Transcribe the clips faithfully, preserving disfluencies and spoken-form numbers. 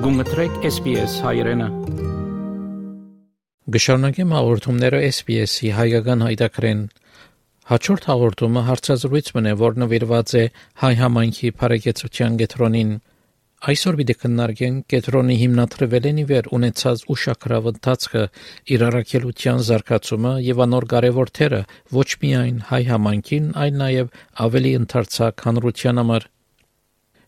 Գումտրեք S B S հայրենը։ Գշարունակեմ հաղորդումները S B S-ի հայկական հայտակրեն։ Հաջորդ հաղորդումը հարցազրույց մնե, որ նվիրված է հայ համայնքի բարեկեցության կետրոնին։ Այսօր պիտի քննարկենք կետրոնի հիմնադրվել են ի վեր ունեցած ուշագրավ ընթացքը, իր առաքելության զարգացումը եւ անոր կարեւոր թերը ոչ միայն հայ համայնքին, այլ նաեւ ավելի ընդարձակ հանրության համար։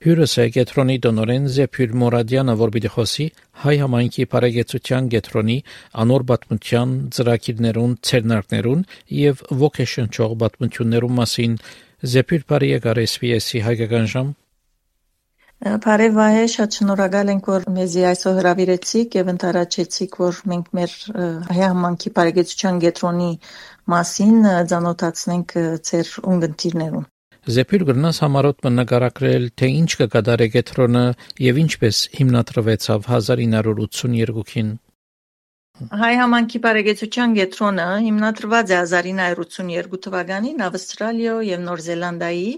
Հյուրս է կետրոնի տնօրեն Զեփյուր Մորադյանը, որ պիտի խոսի հայ համայնքի բարեկեցության կետրոնի անոր պատմության, ծրագիրներուն, ցերնարկներուն եւ ոգեշնչող պատմություններուն մասին։ Զեփյուր, բարի եկար S B S-ի հայկական ժամ։ Բարև Վահե, շատ շնորհակալ ենք, որ մեզի այսօր հրավիրեցիք եւ ընթരാճեցիք, որ մենք մեր հայ համայնքի բարեկեցության կետրոնի մասին ծանոթացնենք ձեր ունգընտիրներուն։ Զեփյուր, գրնաս համարոտ մնագարակրել, թե ինչ կկատարե կետրոնը եւ ինչպես հիմնադրվեցավ հազար ինը հարյուր ութսունյերկուին։ Հայ համայնքի բարեկեցության կետրոնը հիմնադրված է հազար ինը հարյուր ութսունյերկու թվականին Ավստրալիա եւ Նոր Զելանդիայի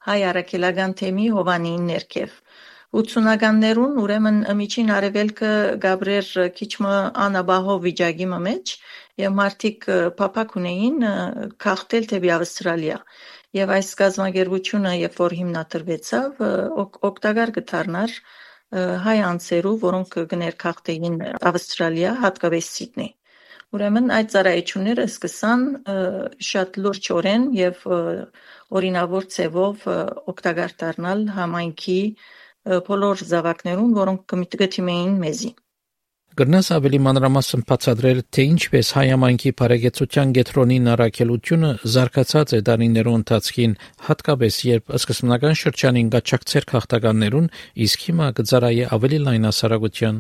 հայ առաքելական թեմի Հովանիին ներքև։ ութսունականներուն ուրեմն միջին արևելքը գաբրեր քիչմը անաբահով վիճակի մեջ եւ մարդիկ փափակ ունեին քաղտել թեպի Ավստրալիա։ Եվ այս գազམ་ագերբությունը, երբ որ հիմնադրվեցավ, օգտակար կդառնար հայ անձերու, որոնք կներքախտեին Ավստրալիա, հատկապես Սիդնեյ։ Ուրեմն այդ ծառայությունները սկսան շատ լուրջորեն եւ օրինավոր ձևով օգտակար դառնալ համայնքի բոլոր զավակներուն, որոնք կմիտգթիմեին մեզի։ Գրնաս ավելի մանրամասն բացատրել, թե ինչպես հայ համայնքի բարեկեցության կետրոնին առաքելությունը զարգացած է տարիներու ընթացքին, հատկապես երբ սկզբնական շրջանին գաչակցեր քաղաքականներուն, իսկ հիմա կծարայե ավելի լայնասարագության։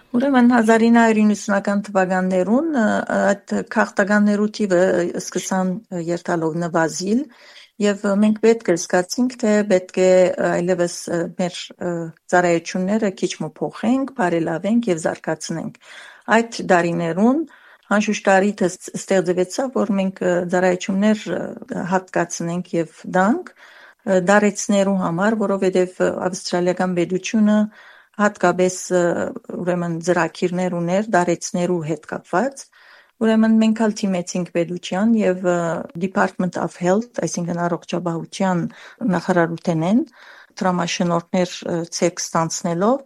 Ուրեմն հազար ինը հարյուր իննսունական թվականներուն այդ քաղաքականներու թիվը սկսան երթալով նվազիլ եւ մենք պետք է զգացինք, թե պետք է այլևս մեր ծառայությունները քիչ փոխենք, բարելավենք եւ զարգացնենք։ Այդ դարիներուն անշուշտ ստեղծվեցավ, որ մենք ծառայություններ հատկացնենք եւ դանք դարեցներու համար, որովհետեւ ավստրալիական պետությունը հատկապես ուրեմն ծրագիրներ ուներ դարեցներու հետ կապված։ Ուրեմն մենք ալ թիմեցինք պետության եւ Department of Health, այսինքն առողջապահության նախարարութենեն դրամաշնորհներ ցեք ստանցնելով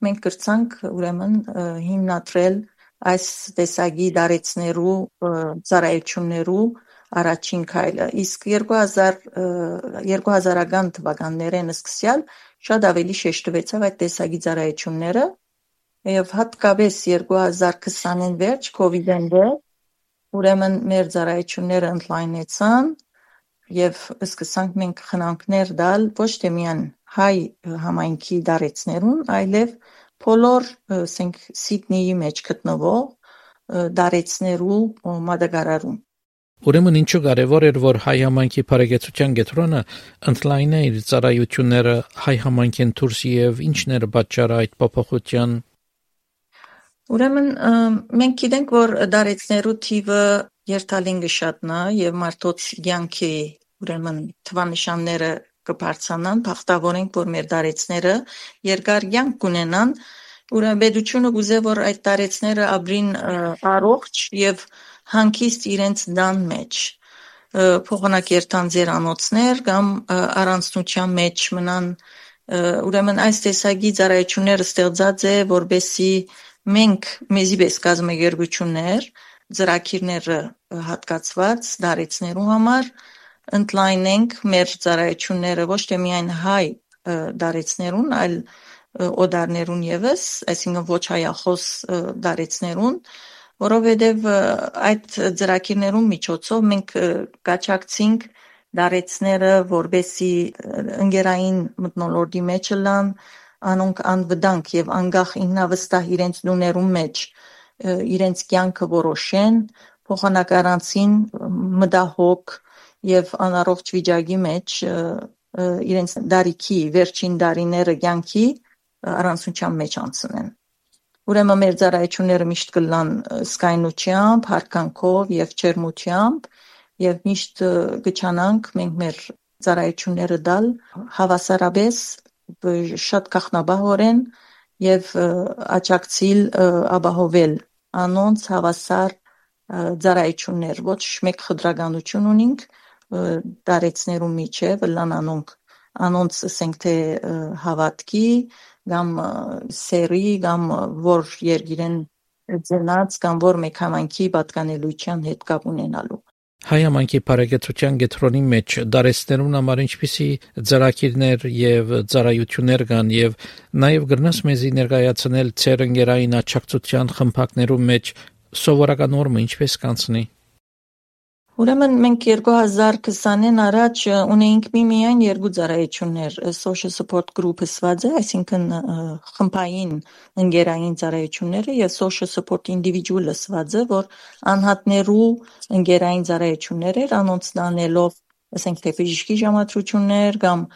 մենք կրցանք ուրեմն հիմնադրել այս տեսակի դարեցներու ծառայություններու առաջին քայլը։ Իսկ երկու հազարական թվականներեն սկսյալ շատ ավելի շեշտվեցավ այդ տեսակի ծառայությունները եւ հատկապես երկու հազար քսանին վերջ COVID-ին վեր ուրեմն մեր ծառայությունները ընդլայնեցան եւ սկսանք մենք խնամքներ տալ ոչ թե միայն հայ համայնքի դարեցներուն, այլև բոլոր ասենք Սիդնեյի մեջ գտնվող դարեցներու մատակարարում։ Ուրեմն ինչու կարևոր էր, որ հայ համայնքի բարեկեցության կետրոնը ընդլայնե իր ծառայությունները հայ համայնքին դուրս եւ ինչն էր պատճառը այդ փոփոխության։ Ուրեմն մենք գիտենք, որ դարեցներու թիվը երթալին կշատնա եւ մարդոց յանքի ուրեմն թվանշանները կբարձրանան, փախտավորենք, որ մեր դարեցները երկար յանք կունենան, ուրեմն պետությունը գուզե, որ այդ դարեցները ապրին առողջ եւ հանգիստ իրենց դան մեջ փոխանակերտան ձերանոցներ կամ առանցնության մեջ մնան ուրեմն այս տեսակի ծառայությունները ստեղծած է որբեսի մենք մեզի պես կազմակերպություններ ծրագիրները հատկացված դարեցներու համար ընդլայնենք մեր ծառայությունները ոչ թե միայն հայ դարեցներուն այլ օդարներուն եւս այսինքն ոչ հայախոս դարեցներուն որովհետև այդ ծրագիրներուն միջոցով մենք կաչակցինք դարեցները, որբեսի ընկերային մթնոլորտի մեջ լան, անոնք անվտանգ եւ անգախ ինքնավստահ իրենց դուներուն մեջ իրենց կյանքը որոշեն, փոխանակարանցին մտահոգ եւ անառողջ վիճակի մեջ իրենց դարիքի վերջին դարիները կյանքի առանցնության մեջ անցնեն։ Ուրեմն մեր ծառայությունները միշտ կլան սկայնությամբ, հարկանքով եւ ջերմությամբ եւ միշտ կչանանք մենք մեր ծառայությունները դալ հավասարապես շատ կախնաբահորեն եւ աճակցիլ ապահովել անոնց հավասար ծառայություններ ոչ մեկ խտրականություն ունինք դարեցներու միջև լան անոնք անոնց ասենք թե հավատքի կամ սերի կամ որ երգիրեն ձնած կամ որ մեկ համանքի պատկանելիության հետ կապ ունենալու Հայ համայնքի բարեկեցության գետրոնի մեջ դարեցներուն համար ինչպիսի ծրագիրներ եւ ծառայություններ կան եւ նաեւ գրնաս մեզի ներկայացնել ծեր ընկերային աճակցության խմբակներու մեջ սովորական օրը ինչպես կանցնի Ուրեմն մենք երկու հազար քսանին առաջ ունեինք մի միայն երկու ծառայություններ social support group-ը սված է, այսինքն խմբային ընկերային ծառայությունները եւ social support individual-ը սված է, որ անհատներու ընկերային ծառայություններ էր, անոնց դանելով, ասենք թե բժշկի ժամադրություններ կամ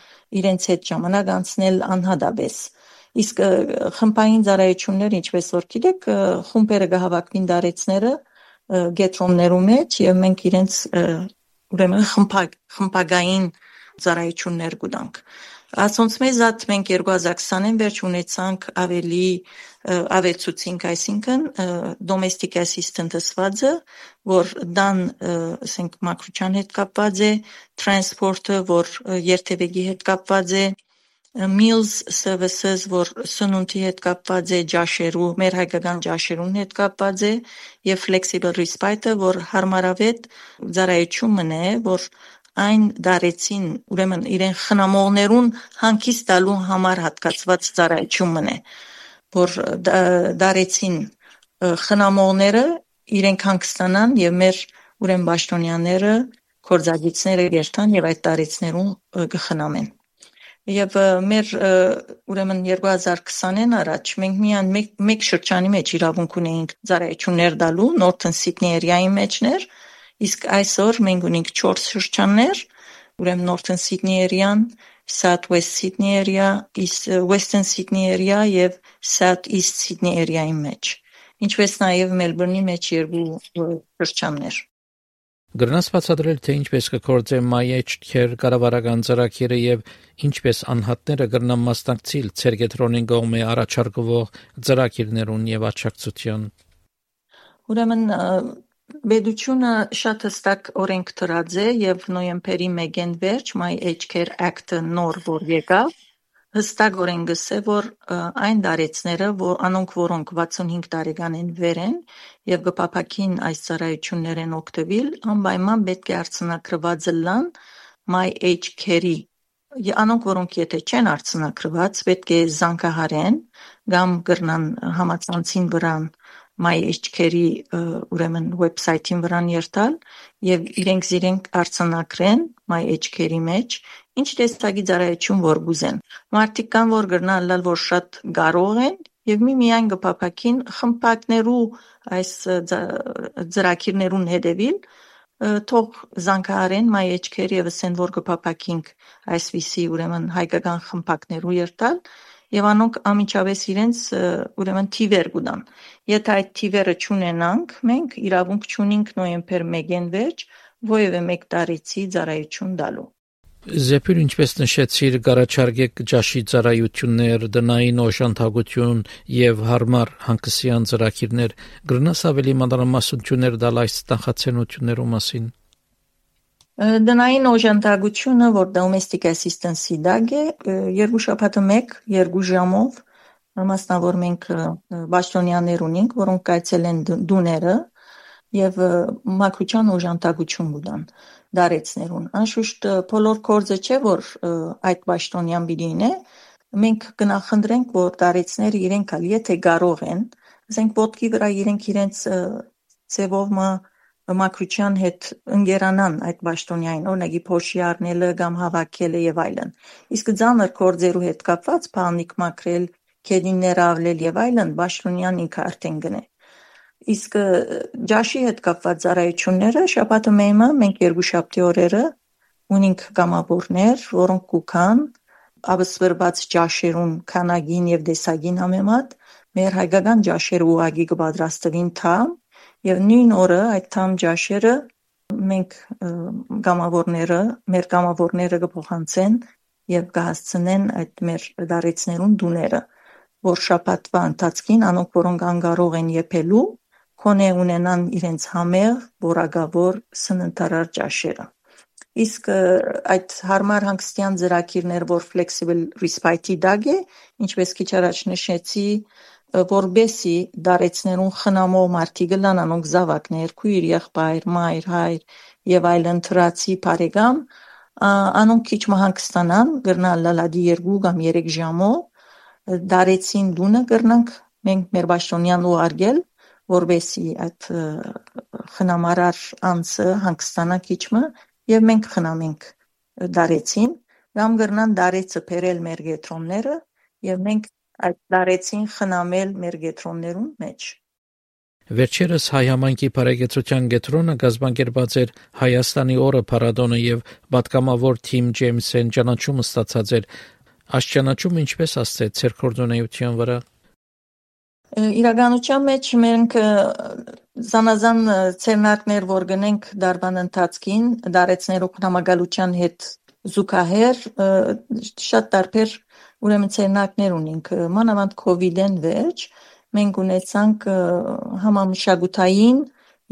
իրենց հետ ժամանակ անցնել անհատաբես։ Իսկ խմբային ծառայությունները, ինչպես որ գիտեք, խումբերը կհավաքվին դարեցները գետրոններու մեջ եւ մենք իրենց ուրեմն խմբակ խմբագային ծառայություններ կուտանք ասոնց մեզ այդ մենք երկու հազար քսանին վերջ ունեցանք ավելի ավելցուցինք այսինքն domestic assistant-ը սվածը որ դան ասենք մակրության հետ կապված է transport-ը որ երթևեկի հետ կապված է meals services որ սնունդի հետ կապված է ջաշերու մեր հայկական ջաշերուն հետ կապված է եւ flexible respite-ը որ հարմարավետ ծառայությունն է որ այն դարեցին ուրեմն իրեն խնամողներուն հանգիստ տալու համար հատկացված ծառայությունն է որ դարեցին խնամողները իրենք հանգստանան եւ մեր ուրեմն պաշտոնյաները կորզագիցները երթան եւ այդ դարեցներուն կխնամեն Եվ մեր ուրեմն երկու հազար քսանին առաջ մենք միայն մեկ, մեկ շրջանի մեջ իրավունք ունեինք ծառայություններ տալու Northern Sydney area-ի մեջներ, իսկ այսօր մենք ունենք չորս շրջաններ, ուրեմն Northern Sydney area-ն, South West Sydney area, East Western Sydney area եւ South East Sydney area-ի մեջ։ Ինչպես նաև Melbourne-ի մեջ երկու շրջաններ։ Գրնաս բացատրել թե ինչպես կգործե մայեջքեր կառավարական ծրագիրը եւ ինչպես անհատները կգրնան մասնակցել ցերգետրոնին կողմէ առաջարկվող ծրագիրներուն եւ աճակցության Ուրեմն Բեդությունը շատ հստակ օրենք դրած է եւ նոյեմբերի մեկին վերջ My Age Care Act-ը նոր որ եկավ հստակ օրենք գսե որ այն դարեցները որ անոնք որոնք վաթսունհինգ տարեկանին վեր են եւ գպապակին այս ծառայություններեն օգտվել անպայման պետք է արցնակրված լան My Age Care-ի անոնք որոնք եթե չեն արցնակրված պետք է զանգահարեն կամ գրնան համացանցին վրան My Age Care-ի ուրեմն վեբսայթին վրան երթալ եւ իրենք իրենք արցանակրեն My Age Care-ի մեջ ինչ տեսակի ծառայություն որ գուզեն մարդիկ կան որ գրնան լալ որ շատ կարող են եւ մի միայն գփափակին խմբակներու այս ծրագիրներուն հետևին թող զանգահարեն My Age Care-ի եւ ասեն որ գփափակինք այսպիսի ուրեմն հայկական խմբակներու երթալ եւ անոնք ամիջավես իրենց ուրեմն թիվեր կուտան եթե այդ թիվերը չունենանք մենք իրավունք չունենք նոյեմբեր մեկին վերջ ովևէ մեկ տարեցի ծառայություն տալու Զեպյուր ինչպես նշեցիր գարաչարգեք ջաշի ծառայություններ դնային օժանդակություն եւ հարմար հանգստյան ծրագիրներ գրնաս ավելի մանրամասնություններ տալ այս նախաձեռնություններու մասին Դնային օժանդակությունը որ domestic assistance-ի դակ է երկու շաբաթը մեկ երկու ժամով մասնավոր մենք պաշտոնյաներ ունենք որոնք կայցել են դուները եւ մակրության օժանդակություն կտան դարեցներուն անշուշտ բոլոր կորձը չէ որ այդ պաշտոնյան բիդին է մենք կնախընտրենք որ դարեցները իրենք ալ եթե կարող են ասենք ոտքի վրա իրենք իրենց ծևով մակրության հետ ընկերանան այդ պաշտոնյային օրինակի փոշի առնելը կամ հավաքելը եւ այլն իսկ ծանր կորձերու հետ կապված բանիկ մակրել քեդիններ ավլել եւ այլն պաշտոնյան ինքը արդեն գնե իսկ ջաշի հետ կապված ծառայությունները շաբաթը մեմը մենք երկու շաբթի օրերը ունենք կամավորներ որոնք կուքան ավսվրված ջաշերուն քանագին եւ դեսագին համեմատ մեր հայկական ջաշերը ուղագի կպատրաստվին թամ եւ նույն օրը այդ թամ ջաշերը մենք կամավորները մեր կամավորները կփոխանցեն եւ կհասցնեն այդ մեր դարեցներուն դուները, որ շաբաթվա ընթացքին անոնք, որոնք անկարող են եփելու, քոնե ունենան իրենց համեղ, որակավոր սննդարար ճաշերը։ Իսկ այդ հարմար հանգստյան ծրագիրներ, որ flexible respite-ի դակ է, ինչպես քիչ առաջ նշեցի, որբեսի դարեցներուն խնամող մարդիկ լան անոնք զավակներ, քույր, եղբայր, մայր, հայր եւ այլն թրացի բարեկամ, անոնք քիչ մահանգստանան, գրնալ լալադի երկու կամ երեք ժամով, դարեցին դունը գրնանք մենք մեր պաշտոնյան ուղարկել, որբեսի այդ խնամարար անձը հանգստանա քիչը եւ մենք խնամենք դարեցին, կամ գրնան դարեցը բերել մեր գետրոնները եւ մենք այդ դարեցին խնամել մեր գետրոններուն մեջ։ Վերջերս հայ համայնքի բարեկեցության գետրոնը կազմակերպած էր Հայաստանի օրը փառատոնը եւ պատգամավոր Թիմ Ջեյմսեն ճանաչումը ստացած էր։ Այս ճանաչումը ինչպես ասցեց ձեր կորձունեության վրա։ Իրականության մեջ մենք զանազան ցերնակներ, որ գնենք դարբան ընթացքին, դարեցներու խնամակալության հետ զուգահեռ շատ տարբեր ուրեմն ցերնակներ ունենք, մանավանդ կովիդեն վերջ մենք ունեցանք համամշակութային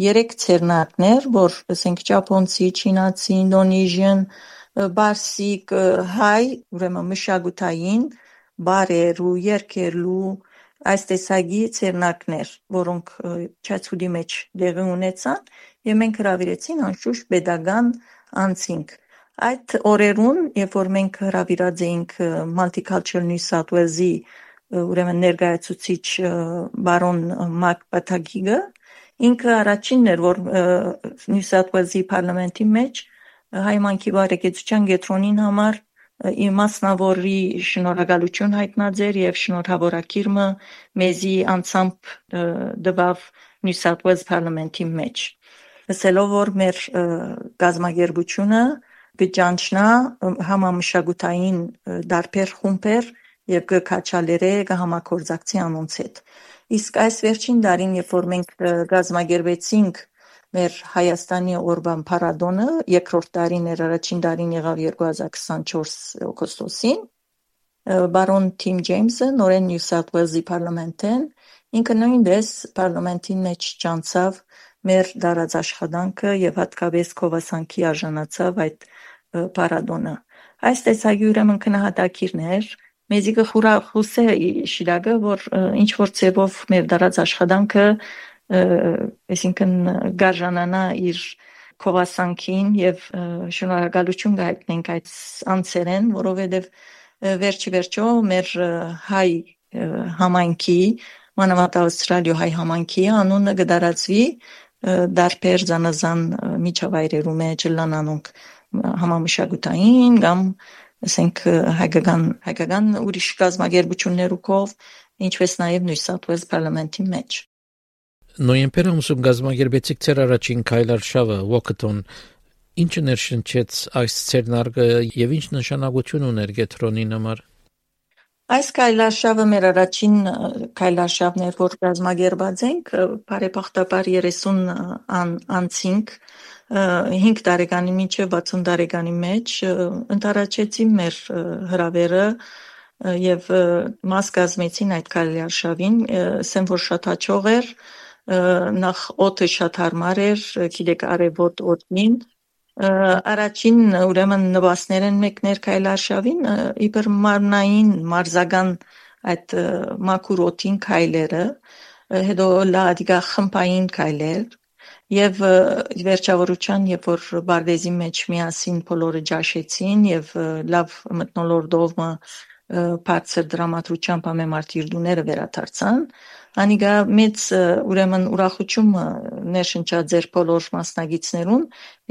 երեք ցերնակներ, որ ասենք ճապոնցի, չինացի, ինդոնեզիան, բարսիկ, հայ, ուրեմն մշակութային բարեր ու երգերու այս տեսակի ցերնակներ, որոնք չացուդի մեջ դեղի ունեցան եւ մենք հրավիրեցին անշուշտ pedagogan անցինք։ Այդ օրերուն, երբ որ մենք հրավիրած էինք Multicultural New South Wales-ի ուրեմն ներկայացուցիչ բարոն Մակ Պաթագիգը, ինքը առաջինն էր, որ New South Wales-ի parlamenti մեջ հայ մանկի բարեկեցության գետրոնին համար իր մասնավորի շնորհակալություն հայտնած էր եւ շնորհավորակիրը մեզի անցամբ դվավ New South Wales parlamenti մեջ։ Ասելով որ մեր գազագերբությունը գճանչնա համամշակութային դարբեր խումբեր եւ կքաչալերե կհամակորձակցի անոնց հետ։ Իսկ այս վերջին դարին, երբ որ մենք գազագերբեցինք մեր Հայաստանի օրվան փառատոնը, երկրորդ տարին էր, առաջին տարին եղավ երկու հազար քսանչորս օգոստոսին, բարոն Թիմ Ջեյմսը նորեն New South Wales-ի parlamenten, ինքը նույնպես parlamentin մեջ ճանցավ մեր դարած աշխատանքը եւ հատկապես կովասանքի արժանացավ այդ փառատոնը։ Այս տեսակի ուրեմն քնահատակիրներ մեզի կխուրախուսե շիրակը, որ ինչ որ ծևով մեր դարած աշխատանքը, այսինքն գարժանանա իր կովասանքին եւ շնորհակալություն գայտնենք այդ անձերեն, որովհետեւ վերջի վերջո մեր հայ համայնքի, մանավանդ Ավստրալիա հայ համայնքի անունը կդարածվի դարբեր զանազան միջավայրերու մեջ լանանոնք համամշակութային կամ ասենք հայկական հայկական ուրիշ կազմակերպություններու կողմ, ինչպես նաև New South Wales parlamenti մեջ։ Նոյեմբեր ամսում կազմակերպեցիք ձեր առաջին քայլարշավը Walkathon, ինչը ներշնչեց այս ցերնարգը եւ ինչ նշանակություն ուներ գետրոնի համար։ Այս քայլարշավը մեր առաջին քայլարշավն էր, որ կազմակերպած ենք, բարեբախտաբար երեսուն ան, անցինք հինգ տարեկանի մինչև վաթսուն տարեկանի մեջ ընտարաչեցի մեր հրավերը եւ մաս կազմեցին այդ քայլարշավին, ասեմ որ շատ հաջող էր, նախ օդը շատ հարմար էր, գիտեք արևոտ օդին, առաջին ուրեմն նվաստներ են մեկներ քայլարշավին, իբր մարմնային մարզական այդ մաքուր օդին քայլերը, հետո լադիգա խմբային քայլեր եւ վերջավորության, երբ որ բարդեզի մեջ միասին բոլորը ջաշեցին եւ լավ մթնոլորտով բարձր դրամատրությամբ ամեմարտիր դուները վերադարձան, անիգա մեծ ուրեմն ուրախություն ներշնչած էր բոլոր մասնագետներուն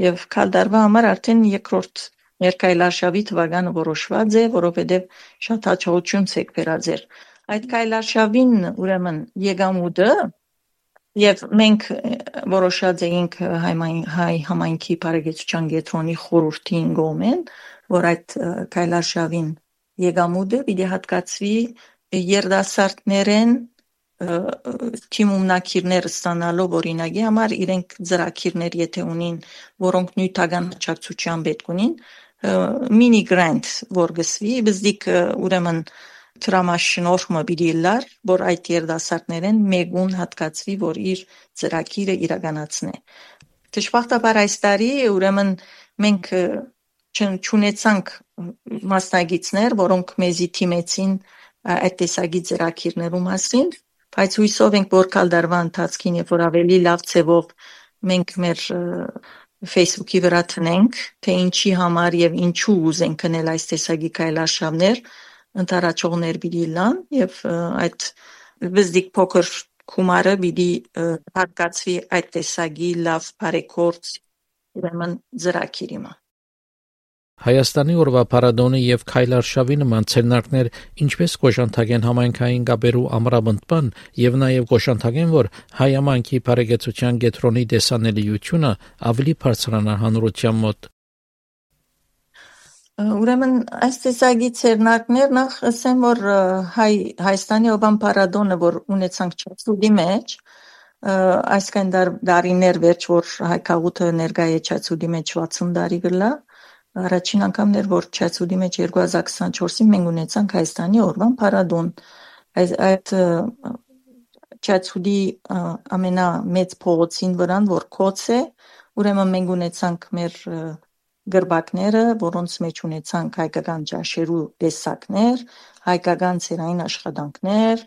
եւ քալդարվա համար արդեն երկրորդ ներկայլարշավի թվականը որոշված է, որովհետեւ շատ հաջողություն ցեք վերած էր։ Այդ քայլարշավին ուրեմն եկամուտը եւ մենք որոշած էինք հայ համայնքի բարեկեցության գետրոնի խորհրդին գոմեն, որ այդ քայլարշավին եկամուտը պիտի հատկացվի երդասարտներեն թիմումնակիրներ ստանալով օրինակի համար իրենք ծրագիրներ եթե ունին, որոնք նյութական աջակցության պետք ունին, mini grant որ գսվի բզդիկ ուրեմն դրամաշնորհը բիդի լար որ այդ երդասարտներեն մեգուն հատկացվի որ իր ծրագիրը իրականացնե դժբախտաբար այս տարի ուրեմն մենք չունեցանք մասնագետներ որոնք մեզի թիմեցին այդ տեսակի ծրագիրներու մասին բայց հույսով ենք որ կալդարվա ընթացքին երբ որ ավելի լավ ձևով մենք մեր Facebook-ի վրա տնենք, թե ինչի համար եւ ինչու ուզենք կնել այս տեսակի քայլարշավներ, ընթարաճողներ պիտի լան եւ այդ վզդիկ փոքր գումարը պիտի հատկացվի այդ տեսակի լավ բարեգործ ուրեմն ծրագիրիմա։ Հայաստանի օրվա փառատոնը եւ քայլարշավի նման ցերնակներ ինչպես կոշանթագեն համայնքային գաբերու ամրապնդման եւ նաեւ կոշանթագեն որ հայ համայնքի բարեկեցության գետրոնի դեսանելիությունը ավելի բարձրանա հանրության մոտ Ուրեմն այս տեսակի ցերնակներ նախ ասեմ որ հայ Հայաստանի օրվան փառատոնը որ ունեցանք Չացուդի մեջ այսքան դարիներ վերջ որ հայ քաղուտը ներկայ է Չացուդի մեջ վաթսուն տարի գլա Առաջին անգամն էր, որ Չացուդի մեջ երկու հազար քսանչորսին մենք ունեցանք Հայաստանի օրվան փառատոն։ Այդ Չացուդի ամենամեծ փողոցին վրան, որ Քոց է, ուրեմն մենք ունեցանք մեր գրբակները, որոնց մեջ ունեցանք հայկական ջաշերու տեսակներ, հայկական ցերային աշխատանքներ,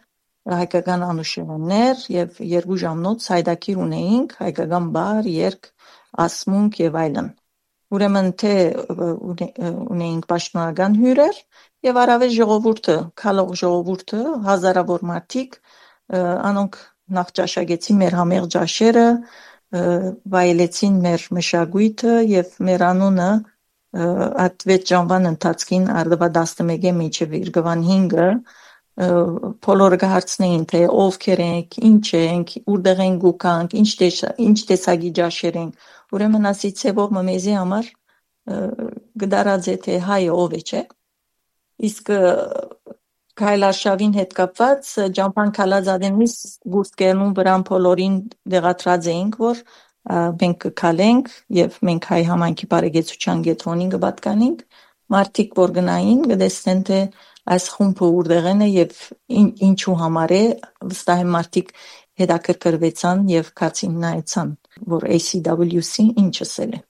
հայկական անուշերաններ եւ երկու ժամնոց հայդակիր ունեինք հայկական բար, երգ, ասմունք եւ այլն։ Ուրեմն թե ունեինք պաշտոնական հյուրեր եւ առավել ժողովուրդը, քալող ժողովուրդը, հազարավոր մարդիկ, անոնք նախ ճաշակեցին մեր համեղ ջաշերը, վայելեցին մեր մշակույթը եւ մեր անունը այդ վեց ժամվան ընթացքին արդվա տասնմեկը մինչեւ իրգվան հինգը բոլորը կհարցնեին թե ովքեր ենք, ինչ ենք, որտեղ ենք գուկանք, ինչ ինչ տեսակի ջաշեր ենք Ուրեմն ասի ցեվով մեզի համար գդարած է թե հայը ով է չէ իսկ քայլարշավին հետ կապված ջամփան քալազադենից գուստկերնուն վրան բոլորին դեղատրած էինք որ մենք կքալենք եւ մենք հայ համայնքի բարեկեցության գետրոնին կպատկանենք մարդիկ որ գնային կտեսնեն թե այս խումբը որտեղն է եւ ինչու համար է վստահ եմ մարդիկ հետաքրքրվեցան եւ քացին նայեցան որ A C W C ինչսել է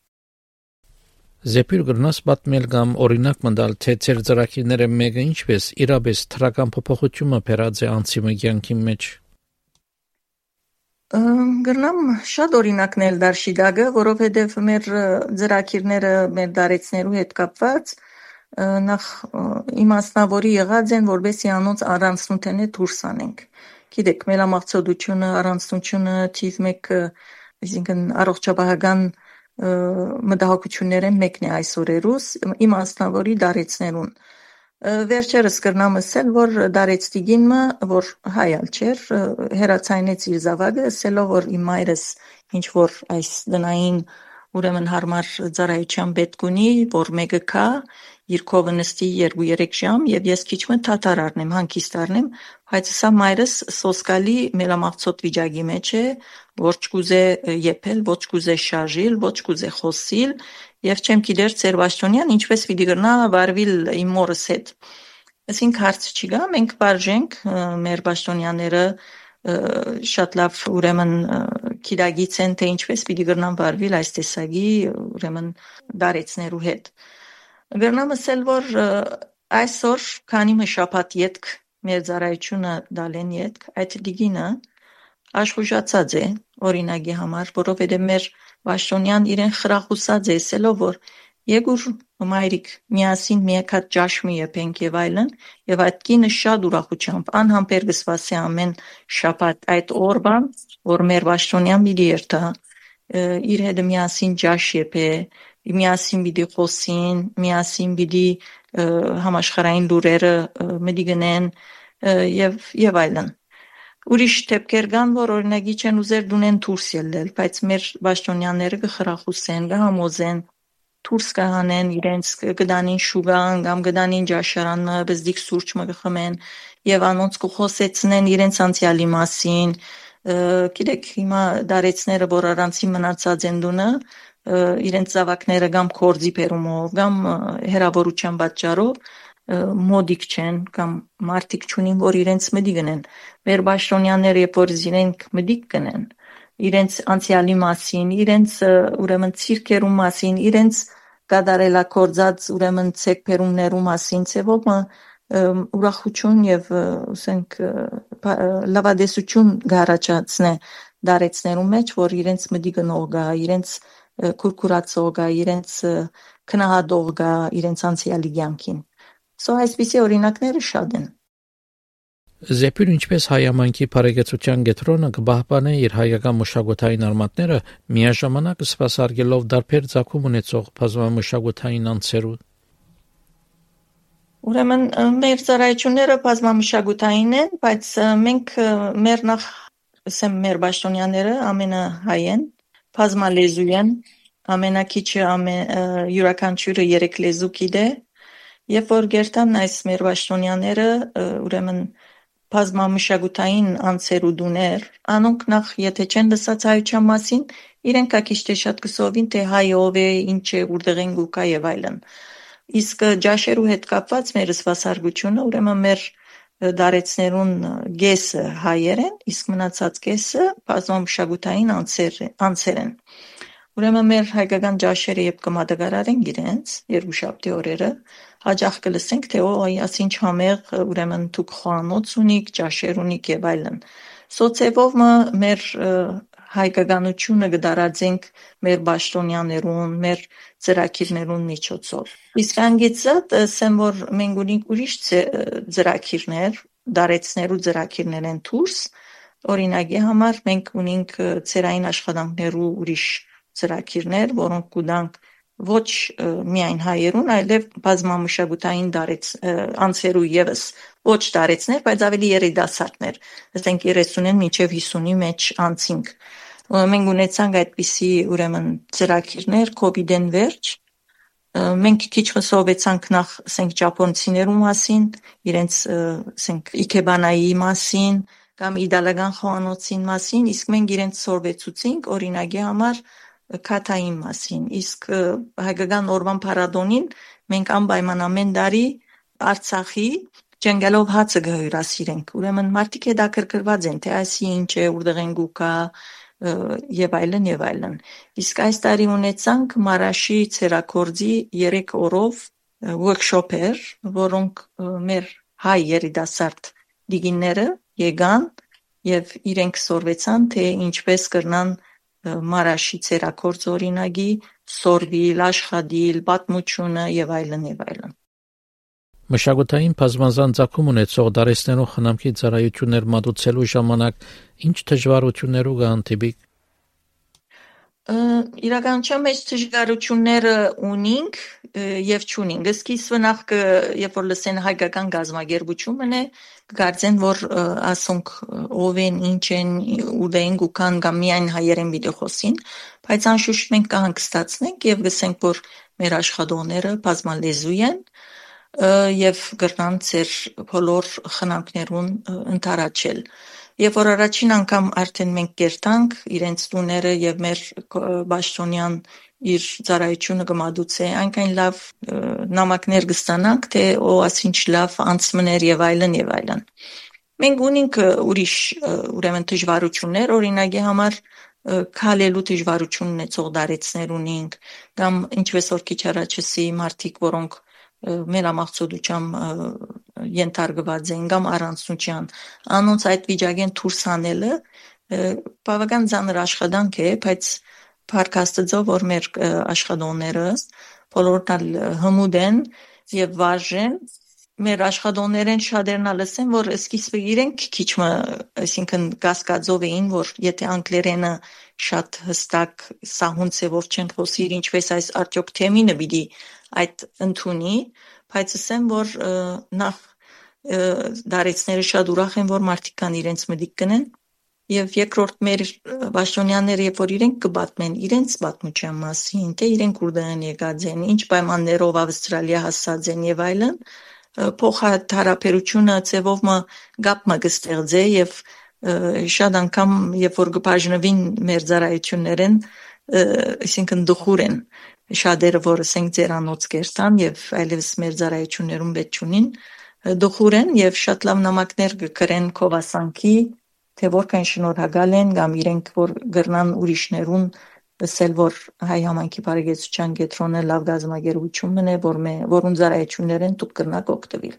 Զեպյուր գրնաս պատմել կամ օրինակ մտալ թե ծեր ծրագիրները մեկը ինչպես իրապես թրական փոփոխությունը բերած է անցի մկյանքի մեջ Գրնամ շատ օրինակներ դարշիդագը որովհետեւ մեր ծրագիրները մեր դարեցներու հետ կապված նախ իմաստնավորի եղած են որբեսի անոնց առանցնութենե դուրս անենք գիտեք մելամաղձոտությունը առանցնությունը թիվ մեկ այսինքն առողջապահական մտահոգությունները մեկն է այս օրերուս իմաստնավորի դարեցներուն վերջերս կրնամ ասել որ դարեցտիգինը որ հայալ չէր հերացայնեց իր զավակը ասելով որ իմ մայրս ինչ որ այս դնային ուրեմն հարմար ծառայության պետք ունի որ մեկը կա իր կողը նստի երկու երեք ժամ եւ ես քիչմը թաթար առնեմ հանգիստ առնեմ բայց սա մայրս սոսկալի մելամաղձոտ վիճակի մեջ է ոչ կուզե եփել ոչ կուզե շարժիլ ոչ կուզե խոսիլ եւ չեմ գիտեր ծեր Վաշտոնյան ինչպես պիտի գրնա վարվիլ իմ մորս հետ ասինք հարց չի գա մենք բաժենք մեր Վաշտոնյանները շատ լավ ուրեմն քիդագից են թե ինչպես պիտի գրնան վարվիլ այս տեսակի ուրեմն դարեցներու հետ Գրնամ ասել որ այսօր քանի մը շաբաթ յետք մեր ծառայությունը դալեն յետք այդ դիգինը աշխուժացած է օրինակի համար որովհետեւ մեր Վաշտոնյան իրեն խրախուսած է ասելով որ Եգուր մայրիկ միասին մեկ հատ ջաշմի եփենք եւ այլն եւ այդ կինը շատ ուրախությամբ անհամբեր գսվասի ամեն շաբաթ այդ օրվան որ մեր Վաշտոնյան պիտի երթա իր հետ միասին ջաշ եփե միասին պիտի խոսին միասին պիտի համաշխարհային լուրերը մտի գնեն եւ եւ այլն ուրիշ դեպքեր կան որ օրինակի չեն ուզեր դունեն դուրս ելնել բայց մեր Վաշտոնյանները կխրախուսեն կհամոզեն դուրս կհանեն իրենց գդանին շուգան կամ գդանին ջաշարանը բզդիկ սուրճը կխմեն եւ անոնց կխոսեցնեն իրենց անցյալի մասին գիտեք հիմա դարեցները որ առանցի մնացած են դունը իրենց զավակները կամ կորձի բերումով կամ հերավորության պատճառով մոդիկ չեն կամ մարդիկ չունին, որ իրենց մդի գնեն։ Մեր պաշտոնյաները, երբ որ իրենք մդիկ գնեն, իրենց անցյալի մասին, իրենց ուրեմն ցիրկերու մասին, իրենց կատարելակործած ուրեմն ցեկբերումներու մասին, ցեվով ուրախություն եւ ասենք լավադեսություն գարաչացնե դարեցներու մեջ, որ իրենց մդի գնող գա, իրենց քուրքուրացող գա, իրենց քնահատող գա, իրենց անցյալի կյանքին։ Սո այսպիսի օրինակները շատ են։ Զեպյուր ինչպես հայամանքի բարեկեցության գետրոնը կբահբանե իր հայկական մշակութային արմատները միաժամանակ սպասարկելով դարբեր ցակում ունեցող բազմամշակութային անձերու։ Ուրեմն մեր ծառայությունները բազմամշակութային են, բայց մենք մեր նախ ասեմ մեր պաշտոնյաները ամենահայ են, բազմալեզու են, ամենակիչը ամեն յուրաքանչյուրը երեք լեզու գիտե, երբ որ գերտան այս մեր պաշտոնյաները ուրեմն բազմամշակութային անձերու դուներ, անոնք նախ եթե չեն լսած հայության մասին, իրենք ակիշ թե շատ կսովին թե հայ ով է, ինչ է, որտեղ են գուկա եւ այլն։ Իսկ ջաշերու հետ կապված մեր սպասարկությունը ուրեմն մեր դարեցներուն գեսը հայեր են, իսկ մնացած գեսը բազմամշակութային անձեր են։ Ուրեմն մեր հայկական ջաշերը երբ կմատակարարեն իրենց երկուշաբթի օրերը, հաճախ կլսենք թե օ այսինչ համեղ ուրեմն դուք խոհանոց ունիք, ջաշեր ունիք եւ այլն։ Սոցիալով մեր հայկականությունը կդարածենք մեր պաշտոնյաներուն, մեր ծրագիրներուն միջոցով։ Իսկ անգեցած ասեմ որ մենք ունենք ուրիշ ծրագիրներ, դարեցներու ծրագիրներ են դուրս, օրինակի համար մենք ունենք ծերային աշխատանքներու ուրիշ ծրագիրներ, որոնք կուտանք ոչ միայն հայերուն, այլև բազմամշակութային դարեց անձերու եւս ոչ դարեցներ, բայց ավելի երիտասարդներ, ասենք երեսունին մինչև հիսունի մեջ անցինք։ Մենք ունեցանք այդպիսի ուրեմն ծրագիրներ կովիդեն վերջ, մենք քիչ խոսովեցանք նախ ասենք ճապոնցիներու մասին, իրենց ասենք իքեբանայի մասին կամ իդալական խոհանոցին մասին, իսկ մենք իրենց սորվեցուցինք օրինակի համար քաթային մասին, իսկ հայկական օրվան փառատոնին մենք անպայման ամեն տարի Արցախի ջենգալով հացը գհյուրասիրենք։ Ուրեմն մարդիկ հետաքրքրված են, թե այսի ինչ է, որտեղ են գուկա եւ այլն եւ այլն։ Իսկ այս տարի ունեցանք Մարաշի ցերակորձի երեք օրով workshop-եր, որոնք մեր հայ երիտասարդ դիգինները եկան եւ իրենք սորվեցան, թե ինչպես կրնան Մարաշի ցերակորձ օրինագի սորվիլ, աշխատիլ, պատմությունը եւ այլն եւ այլն։ Մշակութային բազմազան ցակում ունեցող դարեցներու խնամքի ծառայություններ մատուցելու ժամանակ ինչ դժվարություններու կհանդիպի։ Իրականության մեջ դժվարությունները ունենք եւ չունենք։ Սկիզբը նախ երբ որ լսեն հայկական գազագերբությունն է, կգարձեն որ ասոնք ով են, ինչ են, ուդեն գուքան կամ միայն հայերեն պիտի խոսին, բայց անշուշտ մենք կհանգստացնենք եւ գսենք որ մեր աշխատողները բազմալեզու են եւ գրնան ծեր բոլոր խնամքներուն ընթարաչել։ Երբ որ առաջին անգամ արդեն մենք կերտանք իրենց տուները եւ մեր պաշտոնյան իր ծառայությունը կմատուցե, այնքան լավ նամակներ կստանանք, թե օ ասինչ լավ անցմներ եւ այլն եւ այլն։ Մենք ունենք ուրիշ ուրեմն դժվարություններ, օրինակի համար քալելու դժվարություն ունեցող դարեցներ ունենք, կամ ինչպես որ քիչ առաջեցի մարդիկ, որոնք մելամաղձոտությամբ ենթարկված են կամ առանցնության, անոնց այդ վիճակեն դուրս անելը բավական ծանր աշխատանք է, բայց փառք Աստծո, որ մեր աշխատողները բոլորն հմուտ են եւ վարժեն, մեր աշխատողներեն շատերն լսեն, որ սկիզբը իրենք քիչ մը, այսինքն կասկածով էին, որ եթե անգլերենը շատ հստակ սահուն ծևով չեն խոսիր, ինչպես այս արդյոք թեմինը պիտի այդ ընդունի, բայց ասեմ, որ նախ դարեցները շատ ուրախ են, որ մարդիկ կան իրենց մտիկ կնեն, եւ երկրորդ մեր պաշտոնյաները, երբ որ իրենք կպատմեն իրենց պատմության մասին, թե իրենք որտեղ են եկած են, ինչ պայմաններով Ավստրալիա հասած են եւ այլն, փոխհարաբերությունը ծևով մը գապ մը կստեղծե եւ շատ անգամ երբ որ կբաժնվին մեր ծառայություններեն այսինքն դխուր են շատերը, որ ասենք ձերանոց կերտան եւ այլևս մեր ծառայություններում պետք չունին, դխուր են եւ շատ լավ նամակներ կգրեն կովասանքի, թե որքան շնորհակալ են կամ իրենք որ գրնան ուրիշներուն ասել, որ հայ համայնքի բարեկեցության կենտրոնը լավ գազམ་ագերություն է, որ մե որուն ծառայություններն դուք կրնակ օգտվել։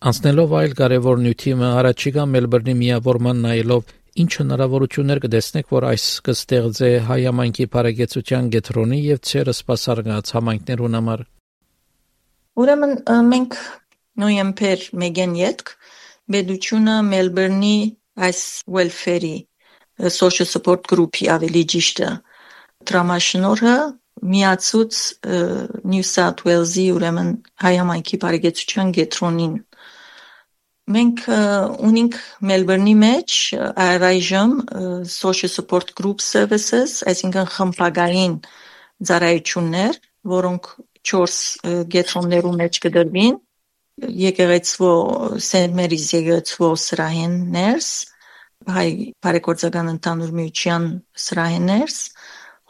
Անցնելով այլ կարևոր նյութիմը առաջիկա Մելբուրնի միավորման նայելով ինչ հնարավորություններ կտեսնեք, որ այս կստեղծե հայ համայնքի բարեկեցության կենտրոնի եւ ցերը սպասարկած համայնքներուն համար։ Ուրեմն մենք նոյեմբեր մեկին յետք բեդությունը Մելբուրնի այս welfare-ի social support group-ի ավելի ճիշտը դրամաշնորհը միացուց New South Wales-ի ուրեմն հայ համայնքի բարեկեցության կենտրոնին։ Մենք ունենք Մելբուրնի մեջ առայժմ social support group services, այսինքն խմբագային ծառայություններ, որոնք չորս կենտրոններում մեջ կդրվին, եկեղեցվո Saint Mary's եկեղեցվո սրահեններս, հայ բարեկործական ընդհանուր միության սրահեններս,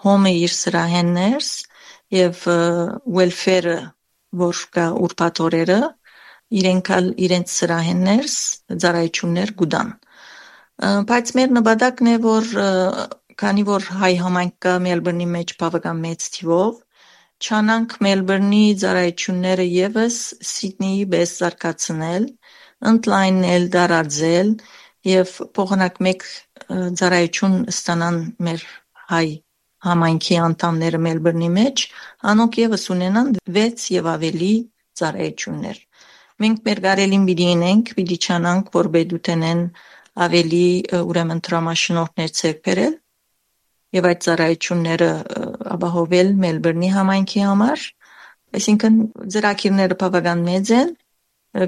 Home-ը իր սրահեններս եւ welfare-ը, որ կա ուրբաթօրերը, իրենքալ իրենց սրահեններս ծառայություններ գուտան։ Բայց մեր նպատակն է, որ քանի որ հայ համայնք կա Մելբուրնի մեջ բավական մեծ թիվով, չանանք Մելբուրնի ծառայությունները եւս Սիդնեի պես զարգացնել, ընդլայնել, դարաձել եւ փոխանակ մեկ ծառայություն ստանան մեր հայ համայնքի անդամները Մելբուրնի մեջ, անոնք եւս ունենան վեց եւ ավելի ծառայություններ։ Մենք մեր գարելին պիտի ունենք, պիտի չանանք, որ բեդութենեն ավելի ուրեմն դրամաշնորհներ ցերկ բերել եւ այդ ծառայությունները ապահովել Մելբուրնի համայնքի համար, այսինքն ծրագիրները բավական մեծ են,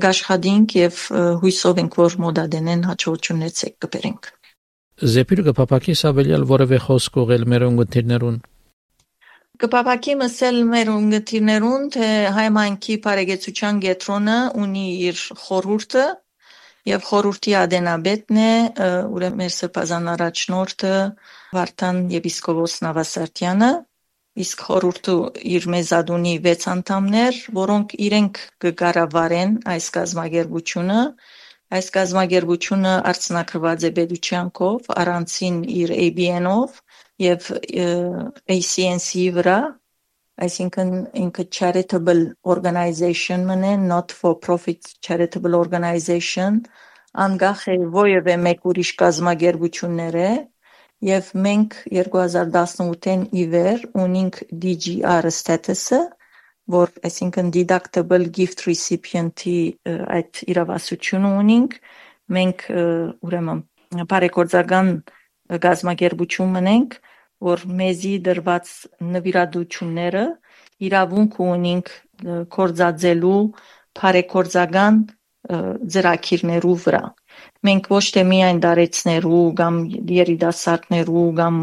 գաշխատենք եւ հույսով ենք, որ մոդադենեն հաջողություններ ցերկ կբերենք։ Զեպիրը կփապակի սավելյալ որևէ խոսք ուղել մեր ունգընտիրներուն։ Կփապակի մսել մեր ունգընտիրներուն, թե հայ համայնքի բարեկեցության կենտրոնը ունի իր խորհուրդը եւ խորհրդի ադենաբետն է, ուրեմն մեր սրբազան առաջնորդը Վարդան եպիսկոպոս Նավասարդյանը, իսկ խորհուրդը իր մեզադունի վեց անդամներ, որոնք իրենք կկառավարեն այս գազམ་ագերբությունը, այս գազམ་ագերբությունը արցնակրված է պետության կողմ, առանցին իր A B N-ով եւ A C N C-ի վրա, այսինքն ինքը charitable organization մնե, not for profit charitable organization, անգախ է ովևէ մեկ ուրիշ գազམ་ագերբություններ է, եւ մենք երկու հազար տասնութին ի վեր ունենք D G R status-ը, որ այսինքն deductible gift recipient-ի այդ իրավասությունը ունենք, մենք ուրեմն բարեկործական գազམ་ագերբություն մնենք, որ մեզի դրված նվիրատությունները իրավունք ունենք կորզածելու բարեկործական ծրագիրներու վրա։ Մենք ոչ թե միայն դարեցներու կամ երիտասարդներու կամ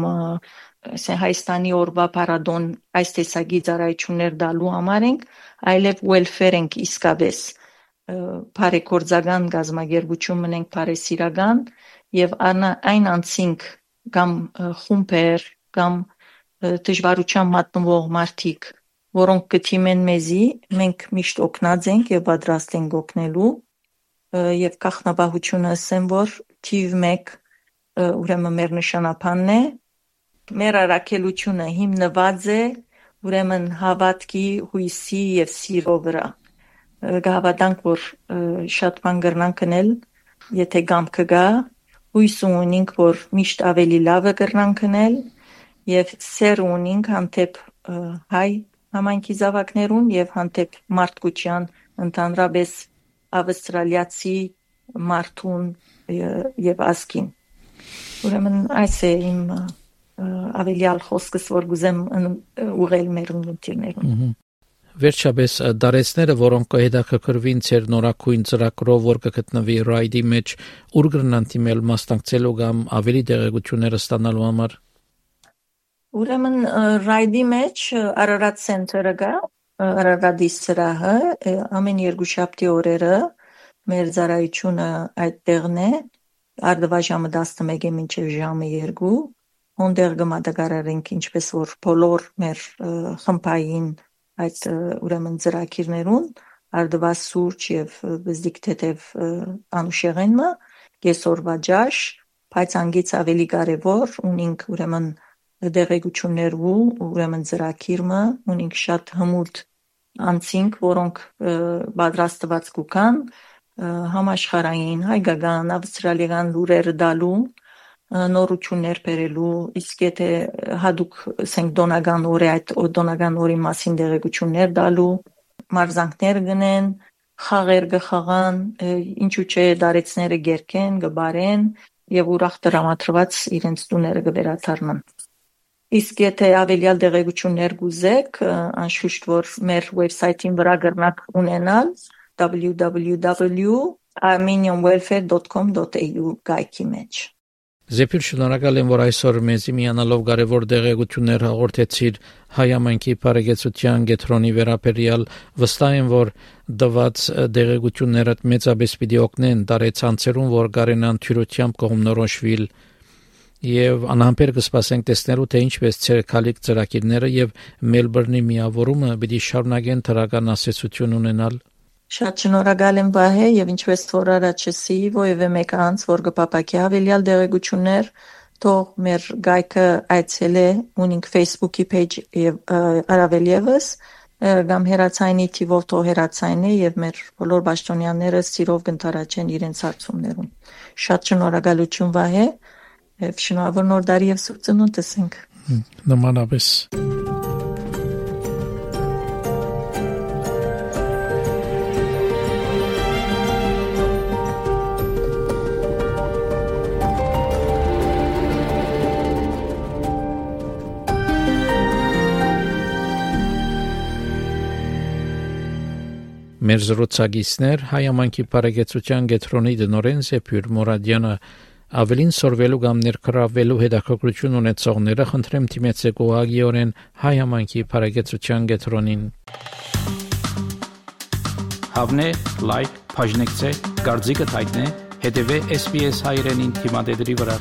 Հայաստանի օրվա փառատոն այս տեսակի ծառայություններ դալու համար ենք, այլև welfare ենք իսկապես բարեկործական գազམ-ագերբություն մնենք բարեսիրական եւ այն անցինք կամ խումբեր կամ դժվարության մատնվող մարդիկ, որոնք կթիմեն մեզի, մենք միշտ օգնած ենք եւ պատրաստ ենք օգնելու եւ կախնաբահությունը ասեմ, որ թիվ մեկ ուրեմն մեր նշանապանն է, մեր առաքելությունը հիմնված է ուրեմն հավատքի, հույսի եւ սիրո վրա։ Գավադանք, որ շատ բան կրնանք կնել, եթե գամքը գա, հույս ունենք, որ միշտ ավելի լավը կրնանք կնել եւ սեր ունենք հանդեպ հայ համայնքի զավակներուն եւ հանդեպ մարդկության ընդհանրապես ավստրալիացի մարդուն եւ ազգին։ Ուրեմն այս է իմ ավելյալ խոսքս, որ գուզեմ ուղղել մեր ունգընտիրներուն։ Վերջապես դարեցները, որոնք կհետաքրքրվին ցեր նորակույն ծրագրով, որ կգտնվի Ride-ի մեջ, ուր կգնան դիմել մասնակցելու կամ ավելի տեղեկություններ ստանալու համար։ Ուրեմն Ride-ի մեջ Ararat Center-ը կա, Ararat-ի սրահը, ամեն երկուշաբթի օրերը մեր ծառայությունը այդտեղն է, արդվա ժամը տասնմեկը մինչև ժամը երկու, հոնդեր գմադագարարենք ինչպես որ բոլոր մեր խմբային այդ ուրեմն ծրագիրներուն արդված սուրճ եւ բզդիկ թեթև անուշեղենը կեսօրվա ջաշ բայց անգից ավելի կարեւոր ունինք ուրեմն դեղեցություններ ու ուրեմն ծրագիրը ունինք շատ հմուտ անցինք որոնք պատրաստված կուքան համաշխարհային հայկական ավստրալիական լուրերը դալու նորություններ բերելու իսկ եթե հadoop ասենք դոնական օրը այդ դոնական օրի մասին դեղեցություններ դալու մարզանքներ գնեն խաղեր գխաղան ինչու՞ չէ դարեցները գերքեն գբարեն եւ ուրախ դրամատրված իրենց տուները գվերաթարնան իսկ եթե ավելյալ դեղեցություններ գուզեք անշուշտ որ մեր վեբսայթին վրա գրնակ ունենալ w w w dot armenian welfare dot com dot a u գայքի մեջ Զեփիր շնորհակալ եմ որ այսօր մեզի միանալով կարևոր դեղեցություններ հաղորդեցիր հայ ամենքի բարեկեցության գետրոնի վերաբերյալ վստահ եմ որ դված դեղեցությունները մեծապես պիտի օգնեն դարեցանցերուն որ կարենան թյուրությամբ կողմնորոշվել եւ անհամբեր կսպասենք տեսնելու թե ինչպես ցերկալիկ ծրագիրները եւ Մելբուրնի միավորումը պիտի շարունակեն դրական ասացություն ունենալ Շատ շնորհակալ եմ Վահե եւ ինչպես որ առաջեցի ովևէ մեկ անց որ կպապակի ավելյալ դեղեցություններ թող մեր գայքը այցելե ունինք Facebook-ի page եւ արավել եւս կամ հերացայինի թիվով թող հերացայինի եւ մեր բոլոր պաշտոնյաները սիրով կընթարաչեն իրենց հարցումներում Շատ շնորհակալություն Վահե եւ շնորհավոր նոր տարի եւ սուրբ ծնունդ տեսենք Նմանապես Մեր զրուցակիցներ հայամանքի բարեկեցության գետրոնի դնորեն Զեփյուր Մուրադյանը ավելին սորվելու կամ ներկրավելու հետաքրքրություն ունեցողները խնդրեմ դիմեցեք ուղղակիորեն հայամանքի բարեկեցության գետրոնին Հավնե լայք բաժնեկցե դարձիկը թայտնե հետեւե S B S հայրենին թիմադեդի վրա